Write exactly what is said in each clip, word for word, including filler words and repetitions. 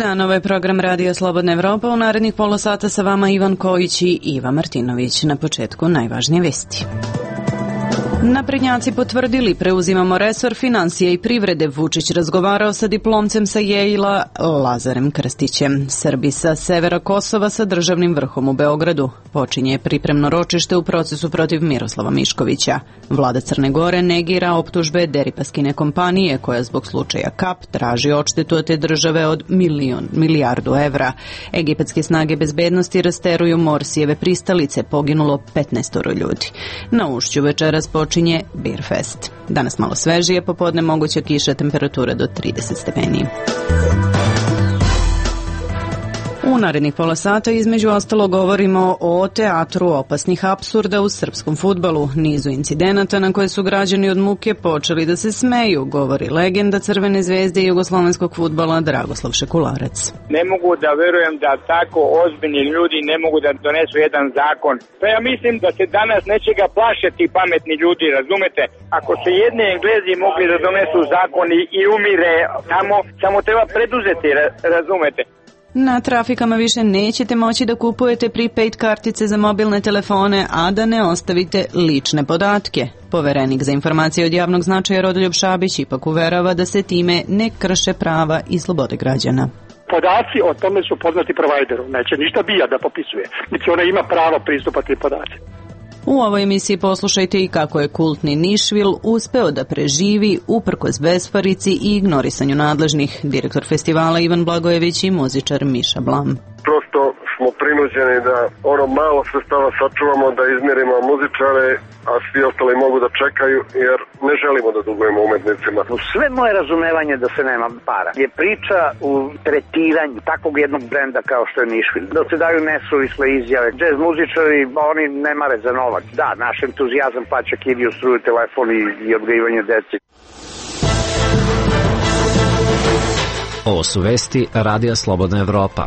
dan, ovo je program Radio Slobodna Evropa. U narednih pola sata sa vama Ivan Kojić i Iva Martinović. Na početku najvažnije vesti. Naprednjaci potvrdili preuzimamo resor financije i privrede. Vučić razgovarao sa diplomcem sa Yale-a Lazarem Krstićem. Srbi sa severa Kosova sa državnim vrhom u Beogradu. Počinje pripremno ročište u procesu protiv Miroslava Miškovića. Vlada Crne Gore negira optužbe Deripaskine kompanije koja zbog slučaja Kap traži odštetu od te države od milion, milijardu evra. Egipatske snage bezbednosti rasteruju Morsijeve pristalice, poginulo petnaestoro ljudi. Na Ušću večeras počinje Beerfest. Danas malo svežije, popodne moguća kiša, temperatura do trideset stepeni. U narednih pola sata između ostalo govorimo o teatru opasnih apsurda u srpskom fudbalu, nizu incidenata na koje su građani od muke počeli da se smeju, govori legenda Crvene zvezde i jugoslovenskog fudbala Dragoslav Šekularac. Ne mogu da verujem da tako ozbiljni ljudi ne mogu da donesu jedan zakon. Pa ja mislim da se danas nečega plaše ti pametni ljudi, razumete? Ako se jedni Englezi mogli da donesu zakon i, i umire tamo, samo treba preduzeti, razumete? Na trafikama više nećete moći da kupujete prepaid kartice za mobilne telefone, a da ne ostavite lične podatke. Poverenik za informacije od javnog značaja Rodoljub Šabić ipak uverava da se time ne krše prava i slobode građana. Podaci o tome su poznati provajderu, neće ništa B I A da popisuje, niti ona ima pravo pristupa tim podacima. U ovoj emisiji poslušajte i kako je kultni Nišvil uspeo da preživi uprkos besparici i ignorisanju nadležnih. Direktor festivala Ivan Blagojević i muzičar Miša Blam. Prosto smo prinuđeni da ono malo sredstava sačuvamo, da izmirimo muzičare, a svi ostali mogu da čekaju, jer ne želimo da dugujemo umetnicima. Sve moje razumevanje da se nema para je priča u tretiranju takvog jednog brenda kao što je Nišvil. Da se daju nesuvisle izjave. Džez muzičari, oni ne mare za novac. Da, naš entuzijazam plaća kiriju, struju, telefon i, i odgajivanje deci. Ovo su vesti Radija Slobodna Evropa.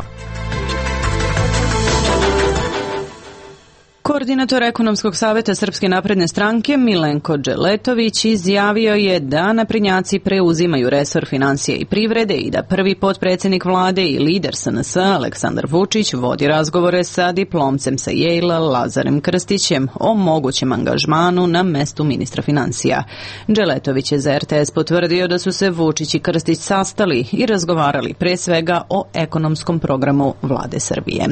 Koordinator Ekonomskog saveta Srpske napredne stranke Milenko Dželetović izjavio je da naprednjaci preuzimaju resor financije i privrede i da prvi potpredsjednik vlade i lider S N S Aleksandar Vučić vodi razgovore sa diplomcem sa Yale-a Lazarem Krstićem o mogućem angažmanu na mestu ministra financija. Dželetović je za R T S potvrdio da su se Vučić i Krstić sastali i razgovarali pre svega o ekonomskom programu vlade Srbije.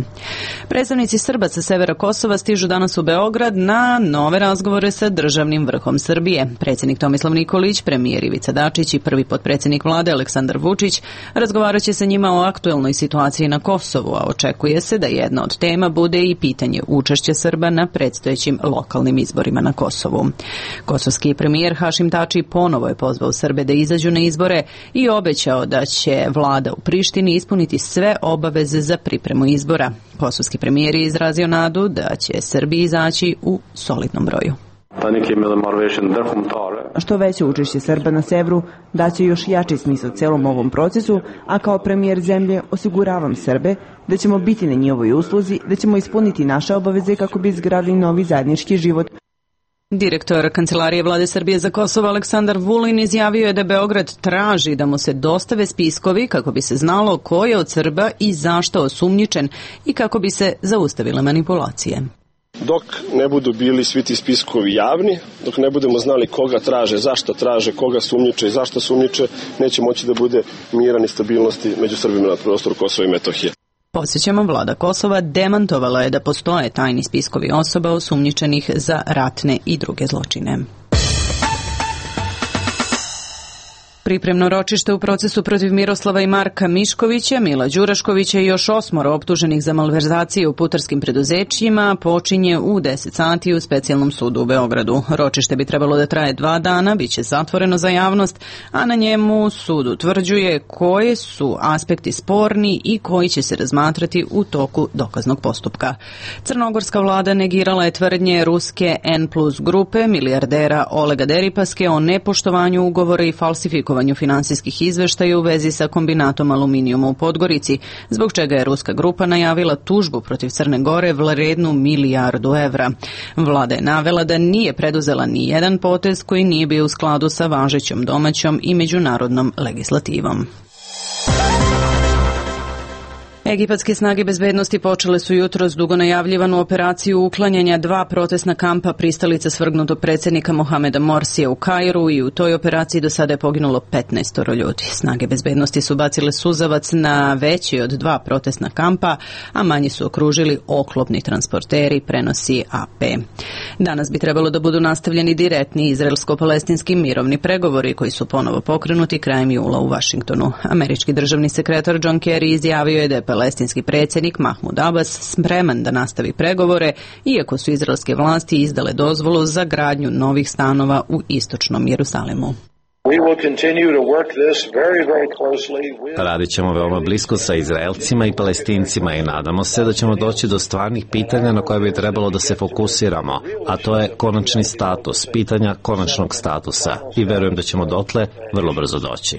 Predstavnici Srba sa severa Kosova stižu danas u Beograd na nove razgovore sa državnim vrhom Srbije. Predsjednik Tomislav Nikolić, premijer Ivica Dačić i prvi potpredsjednik vlade Aleksandar Vučić razgovarat će sa njima o aktuelnoj situaciji na Kosovu, a očekuje se da jedna od tema bude i pitanje učešća Srba na predstojećim lokalnim izborima na Kosovu. Kosovski premijer Hašim Tači ponovo je pozvao Srbe da izađu na izbore i obećao da će vlada u Prištini ispuniti sve obaveze za pripremu izbora. Kosovski premijer je izrazio nadu da će Srbiji izaći u solidnom broju. Što veće učešće Srba na severu daće još jači smisao celom ovom procesu, a kao premijer zemlje osiguravam Srbe da ćemo biti na njihovoj usluzi, da ćemo ispuniti naše obaveze kako bi izgradili novi zajednički život. Direktor Kancelarije vlade Srbije za Kosovo Aleksandar Vulin izjavio je da Beograd traži da mu se dostave spiskovi kako bi se znalo ko je od Srba i zašto osumnjičen i kako bi se zaustavile manipulacije. Dok ne budu bili svi ti spiskovi javni, dok ne budemo znali koga traže, zašto traže, koga sumnjiče i zašto sumnjiče, neće moći da bude mira ni stabilnosti među Srbima na prostoru Kosova i Metohije. Podsjećamo, vlada Kosova demantovala je da postoje tajni spiskovi osoba osumnjičenih za ratne i druge zločine. Pripremno ročište u procesu protiv Miroslava i Marka Miškovića, Mila Đuraškovića i još osmoro optuženih za malverzacije u putarskim preduzećima počinje u deset sati u specijalnom sudu u Beogradu. Ročište bi trebalo da traje dva dana, bit će zatvoreno za javnost, a na njemu sud utvrđuje koje su aspekti sporni i koji će se razmatrati u toku dokaznog postupka. Crnogorska vlada negirala je tvrdnje ruske N plus grupe, milijardera Olega Deripaske o nepoštovanju ugovora i falsifikovanju finansijskih izveštaja u vezi sa kombinatom aluminijuma u Podgorici, zbog čega je ruska grupa najavila tužbu protiv Crne Gore vrednu milijardu evra. Vlada je navela da nije preduzela ni jedan potez koji nije bio u skladu sa važećom domaćom i međunarodnom legislativom. Egipatske snage bezbednosti počele su jutros dugo najavljivanu operaciju uklanjanja dva protestna kampa pristalica svrgnutog predsjednika Mohameda Morsija u Kairu i u toj operaciji do sada je poginulo petnaest ljudi. Snage bezbednosti su bacile suzavac na veći od dva protestna kampa, a manji su okružili oklopni transporteri, prenosi A P. Danas bi trebalo da budu nastavljeni direktni izraelsko-palestinski mirovni pregovori koji su ponovo pokrenuti krajem jula u Vašingtonu. Američki državni sekretar John Kerry izjavio je da je palestinski predsjednik Mahmud Abbas spreman da nastavi pregovore, iako su izraelske vlasti izdale dozvolu za gradnju novih stanova u istočnom Jerusalimu. Radit ćemo veoma blisko sa Izraelcima i Palestincima i nadamo se da ćemo doći do stvarnih pitanja na koje bi trebalo da se fokusiramo, a to je konačni status, pitanja konačnog statusa i verujem da ćemo dotle vrlo brzo doći.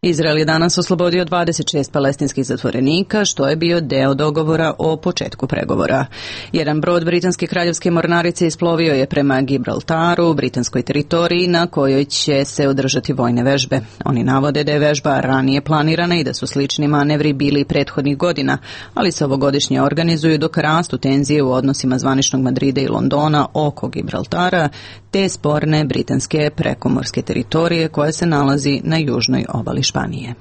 Izrael je danas oslobodio dvadeset šest palestinskih zatvorenika, što je bio deo dogovora o početku pregovora. Jedan brod britanske kraljevske mornarice isplovio je prema Gibraltaru, britanskoj teritoriji na kojoj će se održati vojne vežbe. Oni navode da je vežba ranije planirana i da su slični manevri bili prethodnih godina, ali se ovogodišnje organizuju dok rastu tenzije u odnosima zvaničnog Madrida i Londona oko Gibraltara, te sporne britanske prekomorske teritorije koja se nalazi na južnoj obali Španije.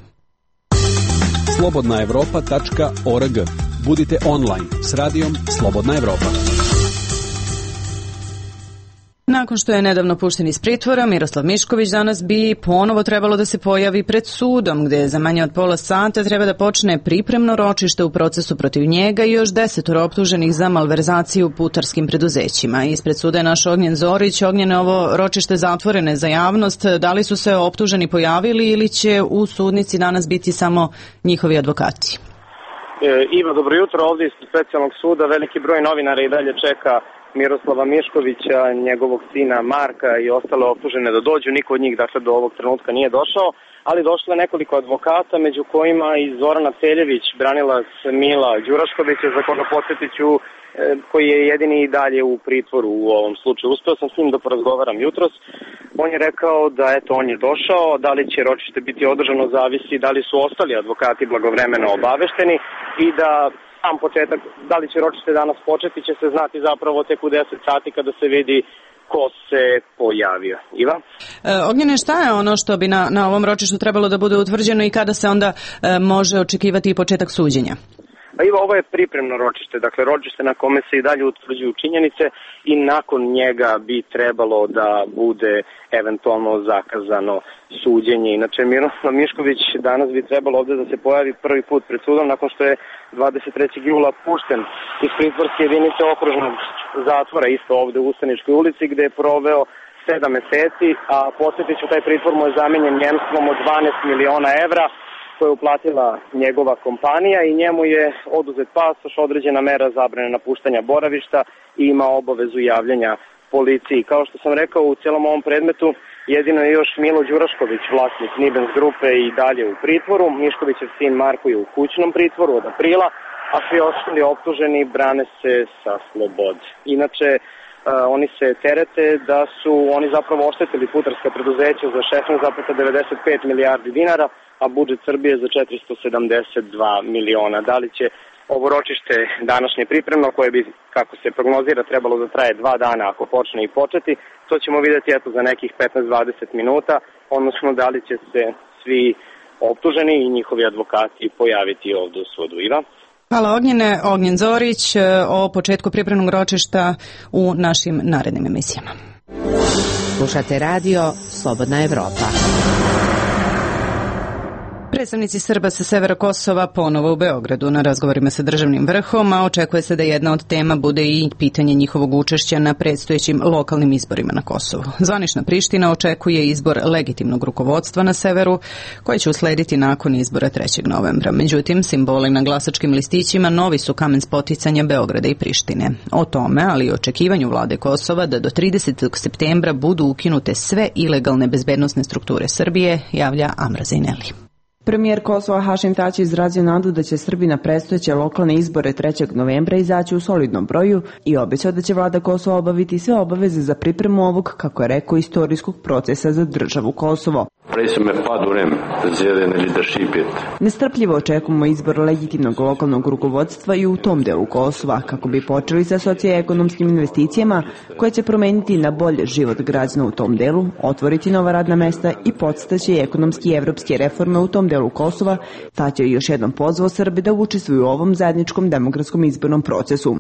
slobodna evropa tačka org. Budite online s radijom Slobodna Evropa. Nakon što je nedavno pušten iz pritvora, Miroslav Mišković danas bi ponovo trebalo da se pojavi pred sudom, gde za manje od pola sata treba da počne pripremno ročište u procesu protiv njega i još desetoro optuženih za malverzaciju u putarskim preduzećima. Ispred suda je naš Ognjen Zorić. Ognjene, ovo ročište zatvorene za javnost. Da li su se optuženi pojavili ili će u sudnici danas biti samo njihovi advokati? E, Iva, dobro jutro. Ovdje iz specijalnog suda veliki broj novinara i dalje čeka Miroslava Miškovića, njegovog sina Marka i ostale optužene da dođu. Niko od njih dakle do ovog trenutka nije došao, ali došlo je nekoliko advokata, među kojima i Zorana Celjević, branilac Mila Đuraškovića, za koga podsjetiću, koji je jedini i dalje u pritvoru u ovom slučaju. Uspeo sam s njim da porazgovaram jutros. On je rekao da eto on je došao, da li će ročište biti održano zavisi da li su ostali advokati blagovremeno obavešteni i da sam početak, da li će ročište danas početi, će se znati zapravo tek u deset sati kada se vidi ko se pojavio. Iva? E, Ognjene, šta je ono što bi na, na ovom ročištu trebalo da bude utvrđeno i kada se onda e, može očekivati i početak suđenja? Pa Iva, ovo je pripremno ročište, dakle ročište na kome se i dalje utvrđuju činjenice i nakon njega bi trebalo da bude eventualno zakazano suđenje. Inače, Miroslav Mišković danas bi trebalo ovdje da se pojavi prvi put pred sudom nakon što je dvadeset trećeg jula pušten iz pritvorske jedinice okružnog zatvora, isto ovdje u Ustaničkoj ulici, gde je proveo sedam meseci, a podsjetit ću, taj pritvor mu je zamenjen njemstvom od dvanaest miliona evra, koje je uplatila njegova kompanija i njemu je oduzet pasoš, određena mera zabrane napuštanja boravišta i ima obavezu javljanja policiji. Kao što sam rekao, u cijelom ovom predmetu jedino je još Milo Đurašković, vlasnik Nibens grupe, i dalje u pritvoru. Miškovićev sin Marko je u kućnom pritvoru od aprila, a svi ostali optuženi brane se sa slobode. Inače, Uh, oni se terete da su oni zapravo oštetili putarska preduzeća za šesnaest zarez devedeset pet milijardi dinara, a budžet Srbije za četiristo sedamdeset dva miliona. Da li će ovo ročište današnje pripremno, koje bi, kako se prognozira, trebalo da traje dva dana ako počne i početi, to ćemo vidjeti eto za nekih petnaest do dvadeset minuta, odnosno da li će se svi optuženi i njihovi advokati pojaviti ovdje u sudu. Iva? Hvala Ognjene. Ognjen Zorić o početku pripremnog ročišta u našim narednim emisijama. Slušate radio Slobodna Evropa. Predstavnici Srba sa severa Kosova ponovo u Beogradu na razgovorima sa državnim vrhom, a očekuje se da jedna od tema bude i pitanje njihovog učešća na predstojećim lokalnim izborima na Kosovu. Zvanična Priština očekuje izbor legitimnog rukovodstva na severu, koji će uslediti nakon izbora trećeg novembra. Međutim, simboli na glasačkim listićima novi su kamen spoticanja Beograda i Prištine. O tome, ali i očekivanju vlade Kosova da do tridesetog septembra budu ukinute sve ilegalne bezbednosne strukture Srbije, javlja Amra Zejneli. Premijer Kosova Hašim Tači izrazio nadu da će Srbi na predstojeće lokalne izbore trećeg novembra izaći u solidnom broju i obećao da će vlada Kosova obaviti sve obaveze za pripremu ovog, kako je rekao, istorijskog procesa za državu Kosovo. Nestrpljivo očekujemo izbor legitimnog lokalnog rukovodstva i u tom delu Kosova, kako bi počeli sa socioekonomskim investicijama koje će promeniti na bolje život građana u tom delu, otvoriti nova radna mesta i podstaći ekonomski i evropske reforme u tom delu Kosova. Tać je još jednom pozvao Srbe da učestvuju u ovom zajedničkom demokratskom izbornom procesu.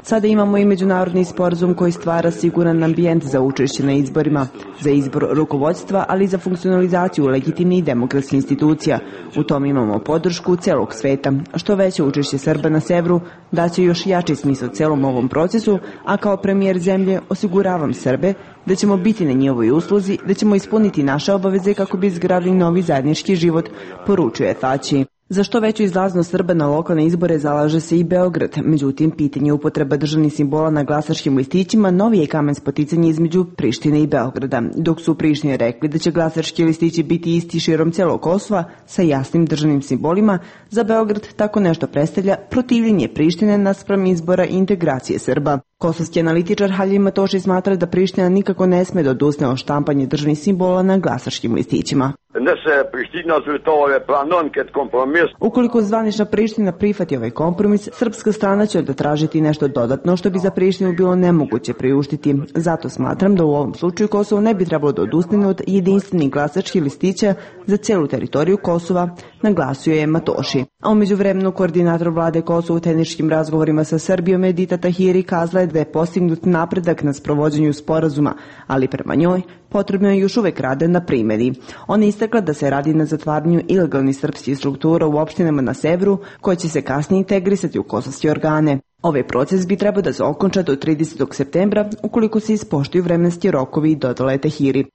Sada imamo i međunarodni sporazum koji stvara siguran ambijent za učešće na izborima, za izbor rukovodstva, ali i za funkcionalizaciju legitimnih demokratskih institucija. U tom imamo podršku celog sveta. Što veće učešće Srba na severu daće još jači smisao celom ovom procesu, a kao premijer zemlje osiguravam Srbe da ćemo biti na njihovoj usluzi, da ćemo ispuniti naše obaveze kako bi izgradili novi zajednički život, poručuje Tači. Za što veću izlaznost Srba na lokalne izbore zalaže se i Beograd. Međutim, pitanje upotreba državnih simbola na glasačkim listićima novi je kamen spoticanja između Prištine i Beograda. Dok su u Prištini rekli da će glasački listići biti isti širom celog Kosova sa jasnim državnim simbolima, za Beograd tako nešto predstavlja protivljenje Prištine naspram izbora i integracije Srba. Kosovski analitičar Haljim Matoši smatra da Priština nikako ne sme da odusne od štampanje državnih simbola na glasačkim listićima. Ukoliko zvanična Priština prihvati ovaj kompromis, srpska strana će da tražiti nešto dodatno što bi za Prištinu bilo nemoguće priuštiti. Zato smatram da u ovom slučaju Kosovo ne bi trebalo da odustane od jedinstvenih glasačkih listića za celu teritoriju Kosova, naglasio je Matoši. A umeđu vremenu koordinator vlade Kosova u tehničkim razgovorima sa Srbijom Edita Tahiri kazala je da je postignut napredak na sprovođenju sporazuma, ali prema njoj potrebno je još uvek rade na primjeni. Ona je istakla da se radi na zatvaranju ilegalnih srpskih struktura u opštinama na severu, koje će se kasnije integrisati u kosovske organe. Ovaj proces bi trebao da se okonča do tridesetog septembra, ukoliko se ispoštuju vremenski rokovi, dodala je Tahiri.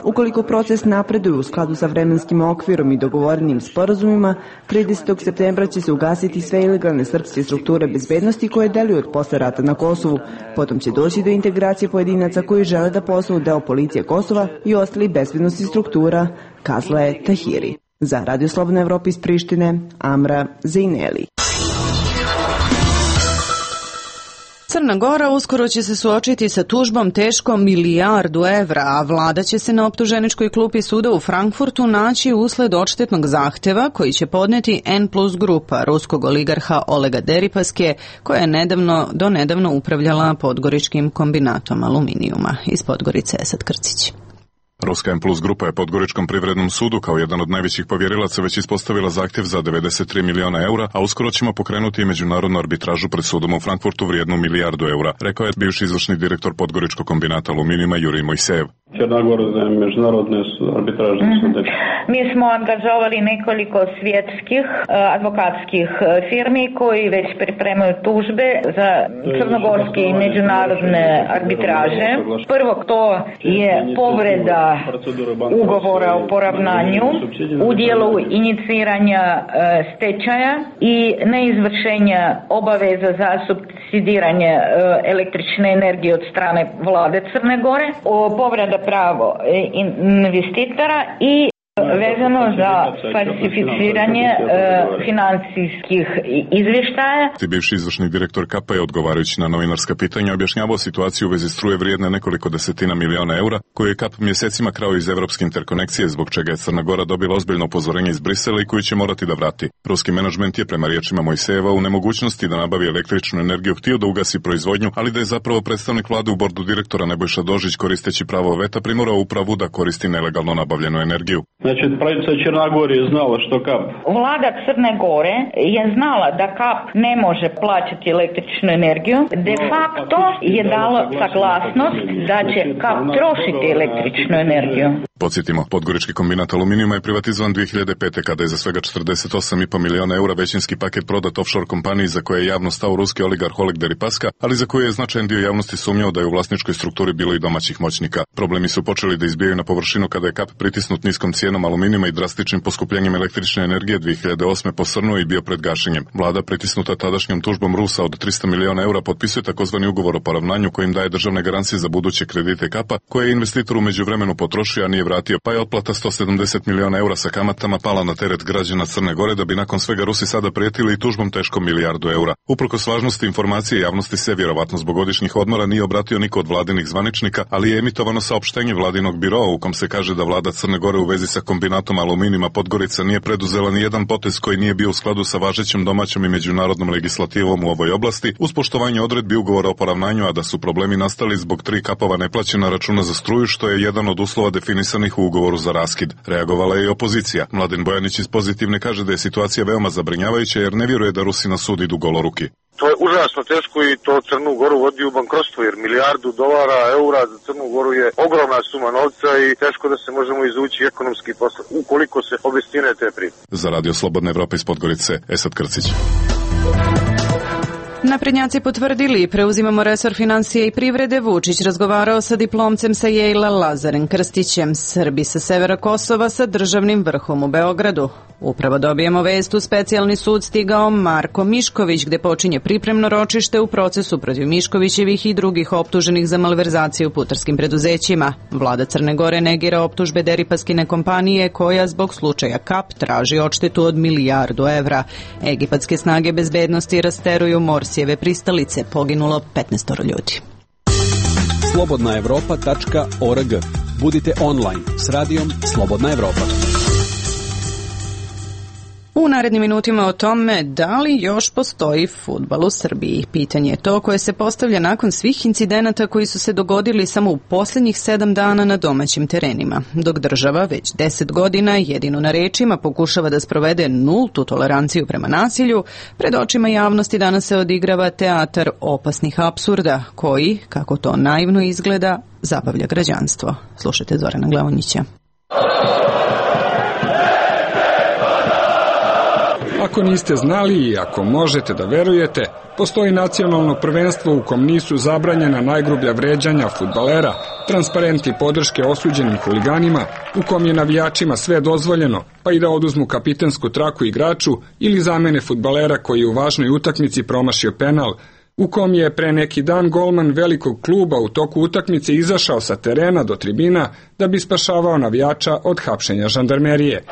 Ukoliko proces napreduje u skladu sa vremenskim okvirom i dogovorenim sporazumima, tridesetog septembra će se ugasiti sve ilegalne srpske strukture bezbednosti koje deluju od posle rata na Kosovu. Potom će doći do integracije pojedinaca koji žele da postanu deo policije Kosova i ostali bezbednosti struktura, kazala je Tahiri. Za Radio Slobodna Evropa iz Prištine, Amra Zejneli. Crna Gora uskoro će se suočiti sa tužbom teškom milijardu evra, a vlada će se na optuženičkoj klupi suda u Frankfurtu naći usled odštetnog zahteva koji će podneti N plus grupa ruskog oligarha Olega Deripaske, koja je nedavno, do nedavno upravljala Podgoričkim kombinatom aluminijuma. Iz Podgorice Esad Krcić. Ruska M plus grupa je Podgoričkom privrednom sudu kao jedan od najvećih povjerilaca već ispostavila zahtjev za devedeset tri miliona eura, a uskoro ćemo pokrenuti i međunarodnu arbitražu pred sudom u Frankfurtu vrijednu milijardu eura, rekao je bivši izvršni direktor Podgoričkog kombinata aluminijuma Jurij Mojsejev. Crnogorske međunarodne arbitražne sude. Mi smo angažovali nekoliko svjetskih advokatskih firmi koji već pripremaju tužbe za crnogorske i međunarodne arbitraže. Prvo to je povreda ugovora o poravnanju u dijelu iniciranja stečaja i neizvršenja obaveza za subsidiranje električne energije od strane vlade Crne Gore, povreda pravo investitora i vezano za falsificiranje e, financijskih izvještaja. Bivši izvršni direktor K A P je odgovarajući na novinarska pitanja objašnjavao situaciju u vezi struje vrijedne nekoliko desetina miliona eura koju je K A P mjesecima krao iz evropske interkonekcije, zbog čega je Crna Gora dobila ozbiljno upozorenje iz Brisela i koju će morati da vrati. Ruski menadžment je prema riječima Mojsejeva u nemogućnosti da nabavi električnu energiju htio da ugasi proizvodnju, ali da je zapravo predstavnik vlade u bordu direktora Nebojša Dožić koristeći pravo veta primorao upravu da koristi nelegalno nabavljenu energiju. Znači, pravica Crna Gora je znala što K A P. Vlada Crne Gore je znala da K A P ne može plaćati električnu energiju. De facto je dalo saglasnost da će K A P trošiti električnu energiju. Podsjetimo, Podgorički kombinat aluminijuma je privatizovan dvije hiljade pete. kada je za svega četrdeset osam i po miliona eura većinski paket prodat offshore kompaniji za koje je javno stao ruski oligarh Oleg Deripaska, ali za koje je značajan dio javnosti sumnjao da je u vlasničkoj strukturi bilo i domaćih moćnika. Problemi su počeli da izbijaju na površinu kada je K A P pritisnut niskom cijenom aluminijuma i drastičnim poskupljenjem električne energije dvije hiljade osme posrnuo i bio pred gašenjem. Vlada, pritisnuta tadašnjom tužbom Rusa od trista miliona eura, potpisuje takozvani ugovor o poravnanju kojim daje državne garancije za buduće kredite K A P-a, koje je investitor u međuvremenu potrošio, a nije vratio, pa je otplata sto sedamdeset miliona eura sa kamatama pala na teret građana Crne Gore, da bi nakon svega Rusi sada prijetili i tužbom teškom milijardu eura. Uprkos važnosti informacije javnosti se vjerovatno zbog godišnjih odmora nije obratio niko od vladinih zvaničnika, ali je emitovano saopštenje vladinog biroa u kom se kaže da vlada Crne Gore u vezi sa kombinatom Aluminima Podgorica nije preduzela ni jedan potez koji nije bio u skladu sa važećom domaćom i međunarodnom legislativom u ovoj oblasti, uz poštovanje odredbi ugovora o poravnanju, a da su problemi nastali zbog tri kapova neplaćena računa za struju, što je jedan od uslova definisanih u ugovoru za raskid. Reagovala je i opozicija. Mladen Bojanić iz Pozitivne kaže da je situacija veoma zabrinjavajuća jer ne vjeruje da Rusi na sud idu goloruki. To je užasno teško i to Crnu Goru vodi u bankrotstvo, jer milijardu dolara, eura za Crnu Goru je ogromna suma novca i teško da se možemo izvući ekonomski posle, ukoliko se obistine te priče. Za Radio Slobodna Evropa iz Podgorice, Esad Krcić. Naprednjaci potvrdili, preuzimamo resor financije i privrede. Vučić razgovarao sa diplomcem sa Yale-a Lazarem Krstićem, Srbi sa severa Kosova sa državnim vrhom u Beogradu. Upravo dobijemo vest, u specijalni sud stigao Marko Mišković, gde počinje pripremno ročište u procesu protiv Miškovićevih i drugih optuženih za malverzaciju u putarskim preduzećima. Vlada Crne Gore negira optužbe Deripaskine kompanije koja zbog slučaja Kap traži odštetu od milijardu evra. Egipatske snage bezbednosti rasteruju Morsijeve pristalice, poginulo petnaest ljudi. slobodna evropa tačka org. Budite online s radijom Slobodna Evropa. U narednim minutima o tome da li još postoji fudbal u Srbiji. Pitanje je to koje se postavlja nakon svih incidenata koji su se dogodili samo u posljednjih sedam dana na domaćim terenima, dok država već deset godina jedino na rečima pokušava da sprovede nultu toleranciju prema nasilju. Pred očima javnosti danas se odigrava teatar opasnih apsurda koji, kako to naivno izgleda, zabavlja građanstvo. Slušajte Zorana Glavonjića. Ako niste znali i ako možete da verujete, postoji nacionalno prvenstvo u kom nisu zabranjena najgrublja vređanja fudbalera, transparenti podrške osuđenim huliganima, u kom je navijačima sve dozvoljeno, pa i da oduzmu kapitensku traku igraču ili zamene fudbalera koji je u važnoj utakmici promašio penal, u kom je pre neki dan golman velikog kluba u toku utakmice izašao sa terena do tribina da bi spašavao navijača od hapšenja žandarmerije.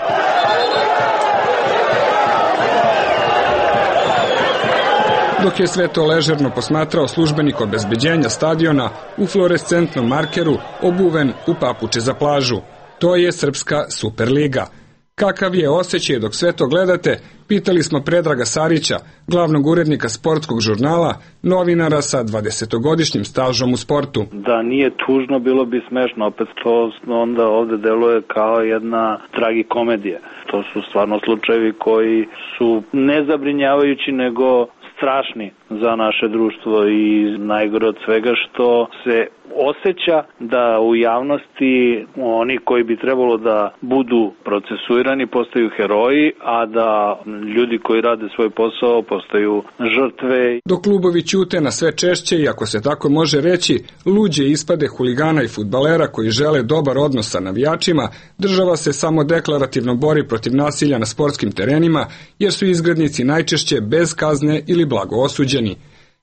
Dok je sve to ležerno posmatrao službenik obezbeđenja stadiona u fluorescentnom markeru obuven u papuče za plažu. To je Srpska Superliga. Kakav je osjećaj dok sve to gledate, pitali smo Predraga Sarića, glavnog urednika sportskog žurnala, novinara sa dvadesetogodišnjim stažom u sportu. Da nije tužno, bilo bi smešno, opet to onda ovde deluje kao jedna tragikomedija. To su stvarno slučajevi koji su ne zabrinjavajući, nego strašni za naše društvo i najgore od svega što se osjeća da u javnosti oni koji bi trebalo da budu procesuirani postaju heroji, a da ljudi koji rade svoj posao postaju žrtve. Dok klubovi ćute na sve češće i, ako se tako može reći, luđe ispade huligana i fudbalera koji žele dobar odnos sa navijačima, država se samo deklarativno bori protiv nasilja na sportskim terenima, jer su izgrednici najčešće bez kazne ili blago osuđeni.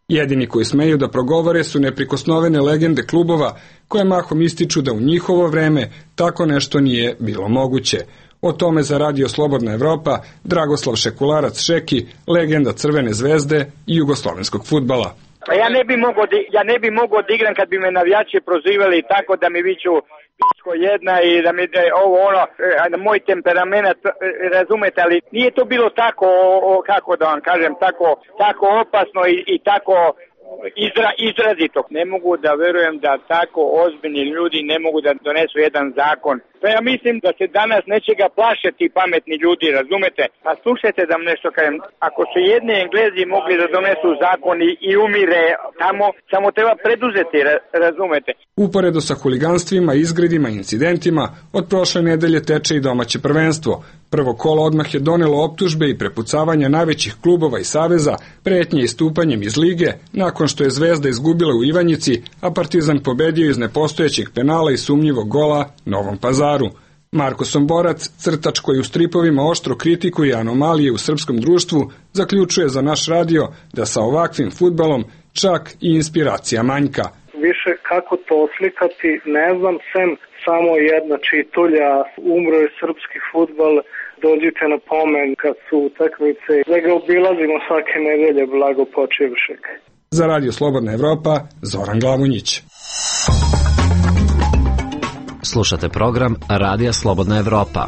Jedini koji smeju da progovore su neprikosnovene legende klubova koje mahom ističu da u njihovo vreme tako nešto nije bilo moguće. O tome za Radio Slobodna Evropa Dragoslav Šekularac Šeki, legenda Crvene zvezde i jugoslovenskog fudbala. Pa ja ne bi mogao da, ja ne bi mogao da igram kad bi me navijači prozivali tako da mi viču pičko jedna i da mi da ovo ono, moj temperament, razumete, ali nije to bilo tako, o, kako da vam kažem, tako, tako opasno i, i tako izra, izrazito. Ne mogu da verujem da tako ozbiljni ljudi ne mogu da donesu jedan zakon. Pa ja mislim da se danas nečega plaše ti pametni ljudi, razumete? Pa slušajte da vam nešto kažem. Ako su jedni Englezi mogli da donesu zakon i, i umire tamo, samo treba preduzeti, razumete? Uporedo sa huliganstvima, izgredima i incidentima, od prošle nedelje teče i domaće prvenstvo. Prvo kolo odmah je donelo optužbe i prepucavanja najvećih klubova i saveza, pretnje istupanjem iz lige, nakon što je Zvezda izgubila u Ivanjici, a Partizan pobedio iz nepostojećeg penala i sumnjivog gola Novom Pazaru. Marko Somborac, crtač koji u stripovima oštro kritikuje anomalije u srpskom društvu, zaključuje za naš radio da sa ovakvim fudbalom čak i inspiracija manjka. Više kako to oslikati, ne znam, sem samo jedna čitulja, umro je srpski fudbal, dođite na pomen kad su utakmice, da ga obilazimo svake nedelje, blago počivšek. Za Radio Slobodna Evropa, Zoran Glavonjić. Slušate program Radija Slobodna Evropa.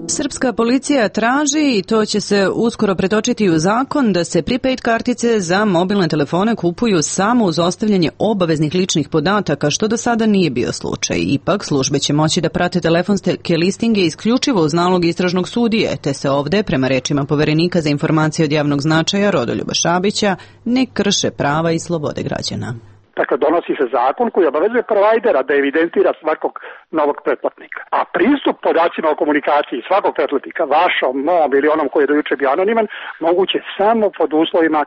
Srpska policija traži, i to će se uskoro pretočiti u zakon, da se prepaid kartice za mobilne telefone kupuju samo uz ostavljanje obaveznih ličnih podataka, što do sada nije bio slučaj. Ipak, službe će moći da prate telefonske listinge isključivo uz nalog istražnog sudije, te se ovde, prema rečima Poverenika za informacije od javnog značaja Rodoljuba Šabića, ne krše prava i slobode građana. Dakle, donosi se zakon koji obavezuje provajdera da evidentira svakog novog pretplatnika. A pristup podacima o komunikaciji svakog pretplatnika, vašom, mom ili onom koji je dojuče bio anoniman, moguće samo pod uslovima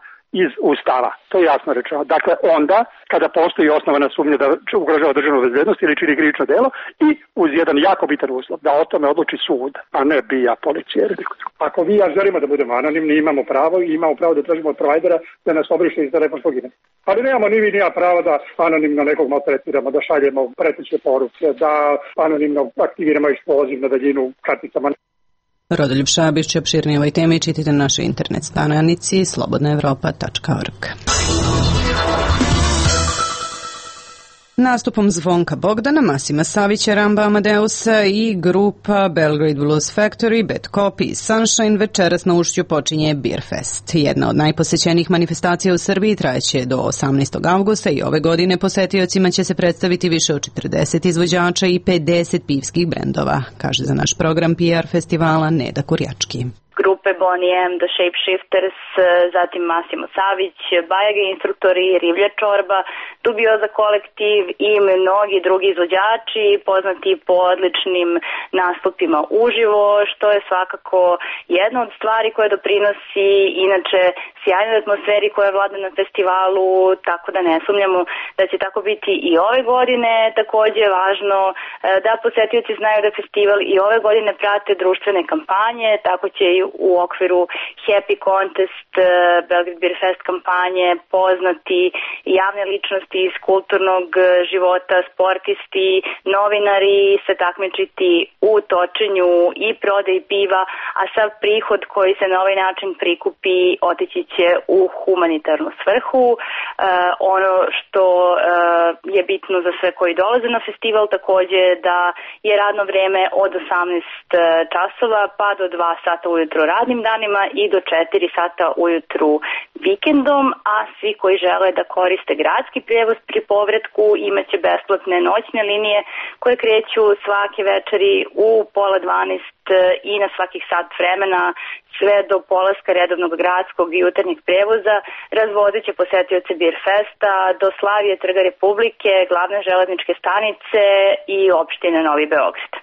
iz Ustava. To je jasno rečeno. Dakle, onda, kada postoji osnovana sumnja da ugrožava državnu bezbednost ili čini krivično delo, i uz jedan jako bitan uslov, da o tome odluči sud, a ne bija policija. Ako vi ja želimo da budemo anonimni, imamo pravo i imamo pravo da tražimo od provajdera da nas obriše iz telefonskog imena. Ali nemamo ni vi ni ja pravo da anonimno nekog maltretiramo, da šaljemo preteće poruke, da anonimno aktiviramo eksploziv na daljinu karticama. Rodoljub Šabić će opširnije ovoj temi čitite na našoj internet stranici slobodna evropa tačka org. Nastupom Zvonka Bogdana, Masima Savića, Ramba Amadeusa i grupa Belgrade Blues Factory, Bad Copy i Sunshine večeras na Ušću počinje Beer Fest. Jedna od najposećenijih manifestacija u Srbiji trajeće do osamnaestog avgusta i ove godine posetiocima će se predstaviti više od četrdeset izvođača i pedeset pivskih brendova, kaže za naš program P R festivala Neda Kurjački. Grupe Bonnie M, The Shapeshifters, zatim Masimo Savić, Bajage instruktori, Rivlja Čorba, Dubioza kolektiv i mnogi drugi izvođači poznati po odličnim nastupima uživo, što je svakako jedna od stvari koje doprinosi inače sjajnoj atmosferi koja vlada na festivalu, tako da ne sumnjamo da će tako biti i ove godine. Takođe je važno da posetioci znaju da festival i ove godine prate društvene kampanje, tako će i u okviru Happy Contest, Belgrade Beer Fest kampanje poznati javne ličnosti iz kulturnog života, sportisti, novinari se takmičiti u točenju i prodaji piva, a sav prihod koji se na ovaj način prikupi otići će u humanitarnu svrhu. E, ono što e, je bitno za sve koji dolaze na festival takođe da je radno vreme od osamnaest časova pa do dva sata ujutro radnim danima i do četiri sata ujutru vikendom, a svi koji žele da koriste gradski prijevoz pri povratku imaće besplatne noćne linije koje kreću svake večeri u pola dvanaest i na svakih sat vremena sve do polaska redovnog gradskog i jutarnjeg prevoza. Razvozit će posetioce Beer Festa do Slavije, Trga Republike, glavne železničke stanice i opštine Novi Beograd.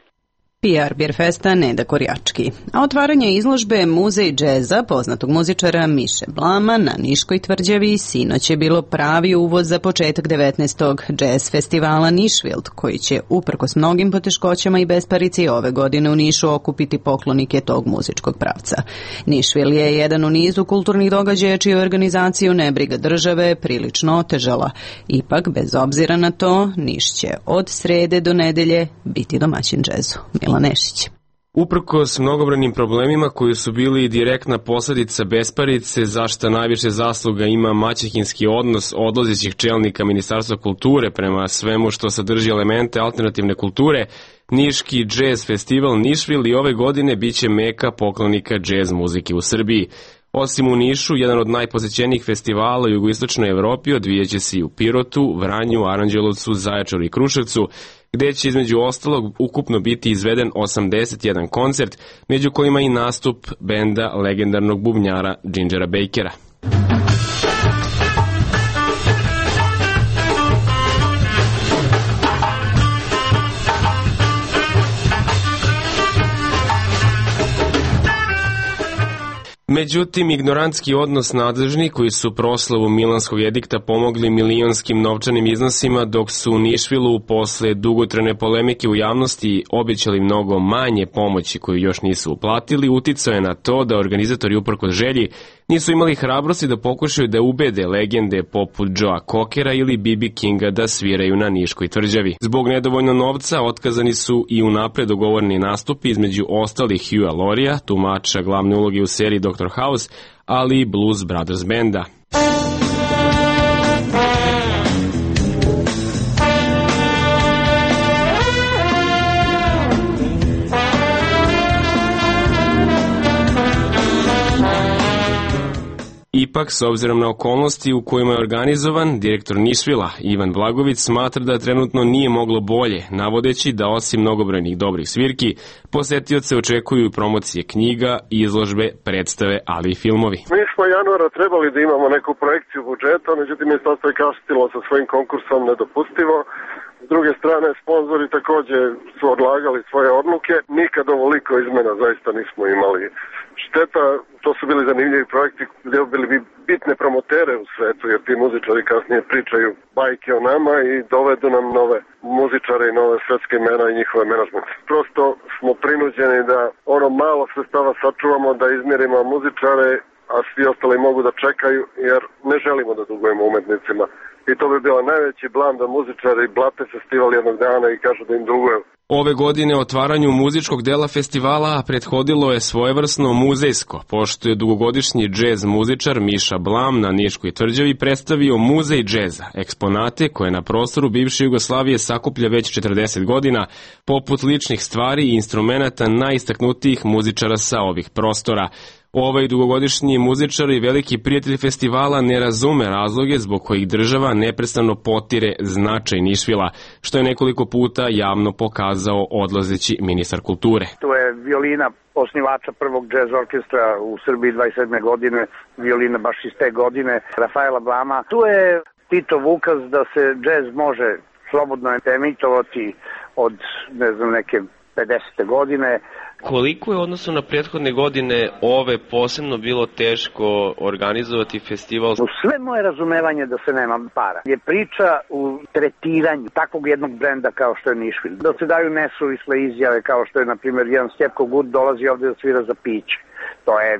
P R Beer Festa Neda Korjački. A otvaranje izložbe Muzej džeza poznatog muzičara Miše Blama na Niškoj tvrđavi sinoć je bilo pravi uvod za početak devetnaestog džez festivala Nišvild, koji će uprkos mnogim poteškoćama i besparici ove godine u Nišu okupiti poklonike tog muzičkog pravca. Nišvil je jedan u nizu kulturnih događaja čiju organizaciju nebriga države prilično otežala. Ipak, bez obzira na to, Niš će od srede do nedelje biti domaćin džezu. Milan Nešić. Uprkos mnogobranim problemima koji su bili direktna posledica besparice, za šta najviše zasluga ima maćehinski odnos odlazećih čelnika Ministarstva kulture prema svemu što sadrži elemente alternativne kulture, Niški džez festival Nišvil i ove godine biće meka poklonika džez muzike u Srbiji. Osim u Nišu, jedan od najposećenijih festivala u jugoistočnoj Evropi odvijeće se i u Pirotu, Vranju, Aranđelovcu, Zaječaru i Kruševcu, gde će između ostalog ukupno biti izveden osamdeset jedan koncert, među kojima i nastup benda legendarnog bubnjara Gingera Bakera. Međutim, ignorantski odnos nadležni koji su proslavu Milanskog edikta pomogli milionskim novčanim iznosima, dok su u Nišvilu posle dugotrajne polemike u javnosti obećali mnogo manje pomoći koju još nisu uplatili, uticao je na to da organizatori uprkos želji nisu imali hrabrosti da pokušaju da ubede legende poput Joea Cockera ili B B Kinga da sviraju na Niškoj tvrđavi. Zbog nedovoljno novca otkazani su i unapred dogovoreni nastupi između ostalih Hughea Laurieja, tumača glavne uloge u seriji doktor House, ali i Blues Brothers benda. Ipak, s obzirom na okolnosti u kojima je organizovan, direktor Nišvila Ivan Blagović smatra da trenutno nije moglo bolje, navodeći da osim mnogobrojnih dobrih svirki, posetioce očekuju promocije knjiga, izložbe, predstave, ali i filmovi. Mi smo januara trebali da imamo neku projekciju budžeta, međutim ministarstvo je kasnilo sa svojim konkursom nedopustivo. S druge strane, sponzori takođe su odlagali svoje odluke. Nikad ovoliko izmena zaista nismo imali. Šteta, to su bili zanimljivi projekti gde bili bi bitne promotere u svetu, jer ti muzičari kasnije pričaju bajke o nama i dovedu nam nove muzičare i nove svetske imena i njihove menadžmente. Prosto smo prinuđeni da ono malo sredstava sačuvamo, da izmjerimo muzičare, a svi ostali mogu da čekaju, jer ne želimo da dugujemo umetnicima. I to bi bila najveći blam da muzičari blate festival jednog dana i kažu da im duguju. Ove godine otvaranju muzičkog dela festivala prethodilo je svojevrsno muzejsko, pošto je dugogodišnji džez muzičar Miša Blam na Niškoj tvrđavi predstavio muzej džeza, eksponate koje na prostoru bivše Jugoslavije sakuplja već četrdeset godina, poput ličnih stvari i instrumenata najistaknutijih muzičara sa ovih prostora. Ovaj dugogodišnji muzičar i veliki prijatelj festivala ne razume razloge zbog kojih država neprestano potire značaj Nišvila, što je nekoliko puta javno pokazao odlazeći ministar kulture. To je violina osnivača prvog džez orkestra u Srbiji dvadeset sedme godine, violina baš iz te godine, Rafaela Blama. Tu je Titov ukaz da se džez može slobodno emitovati od, ne znam, neke pedesete godine. Koliko je u odnosu na prethodne godine ove posebno bilo teško organizovati festival? Sve moje razumevanje da se nema para je priča u tretiranju takvog jednog brenda kao što je Nišvil. Da se daju nesuvisle izjave kao što je, na primjer, jedan Stjepko Gud dolazi ovde da svira za piće. To je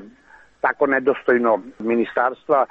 tako nedostojno ministarstva.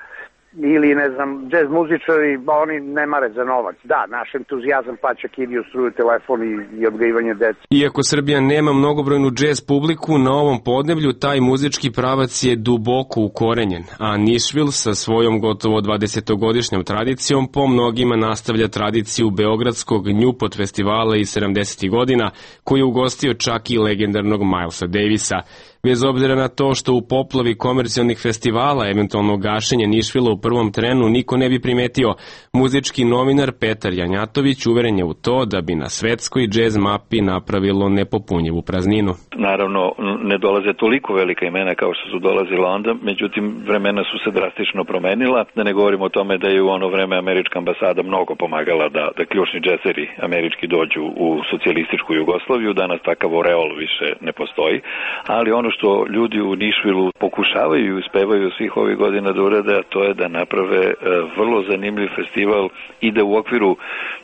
Ili, ne znam, džez muzičari, oni ne mare za novac. Da, naš entuzijazam plaća kiriju, struju, telefon i, i odgajivanje dece. Iako Srbija nema mnogobrojnu džez publiku, na ovom podneblju taj muzički pravac je duboko ukorenjen, a Nišvil sa svojom gotovo dvadesetogodišnjom tradicijom po mnogima nastavlja tradiciju beogradskog Newport festivala iz sedamdesetih godina, koji je ugostio čak i legendarnog Milesa Davisa. Bez obzira na to što u poplavi komercijalnih festivala eventualno gašenje Nišvila u prvom trenu niko ne bi primetio, muzički novinar Petar Janjatović uveren je u to da bi na svetskoj džez mapi napravilo nepopunjivu prazninu. Naravno, ne dolaze toliko velika imena kao što su dolazila onda, međutim vremena su se drastično promenila, da ne govorimo o tome da je u ono vreme američka ambasada mnogo pomagala da, da ključni džezeri američki dođu u socijalističku Jugoslaviju, danas takav oreol više ne postoji, ali ono što ljudi u Nišvilu pokušavaju i uspevaju svih ovih godina da urade, a to je da naprave vrlo zanimljiv festival i da u okviru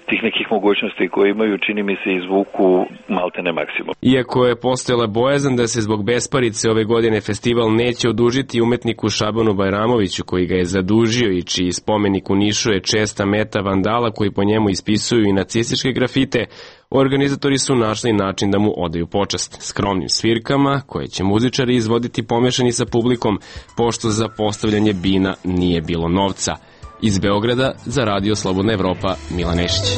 tih nekih mogućnosti koje imaju, čini mi se, izvuku maltene maksimum. Iako je postojala bojazan da se zbog besparice ove godine festival neće odužiti umetniku Šabanu Bajramoviću, koji ga je zadužio i čiji spomenik u Nišu je česta meta vandala koji po njemu ispisuju i nacističke grafite, organizatori su našli način da mu odaju počast skromnim svirkama koje će muzičari izvoditi pomešani sa publikom, pošto za postavljanje bina nije bilo novca. Iz Beograda za Radio Slobodna Evropa, Milan Nešić.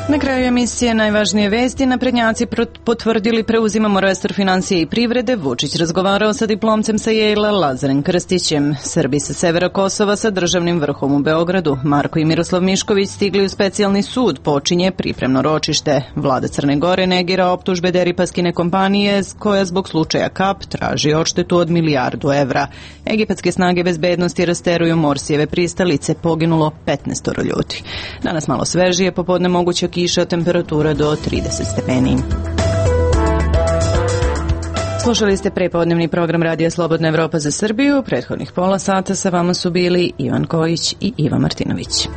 Na kraju emisije najvažnije vesti, naprednjaci potvrdili preuzimamo resor financije i privrede, Vučić razgovarao sa diplomcem sa Yale-a Lazarem Krstićem, Srbi sa severa Kosova sa državnim vrhom u Beogradu, Marko i Miroslav Mišković stigli u specijalni sud, počinje pripremno ročište. Vlada Crne Gore negira optužbe Deripaskine kompanije koja zbog slučaja Kap traži odštetu od milijardu evra. Egipatske snage bezbednosti rasteruju Morsijeve pristalice, poginulo petnaest ljudi. Danas malo svežije, popodne moguće kiša, temperatura do trideset stepeni. Slušali ste prepodnevni program Radija Slobodna Evropa za Srbiju. Prethodnih pola sata sa vama su bili Ivan Kojić i Iva Martinović.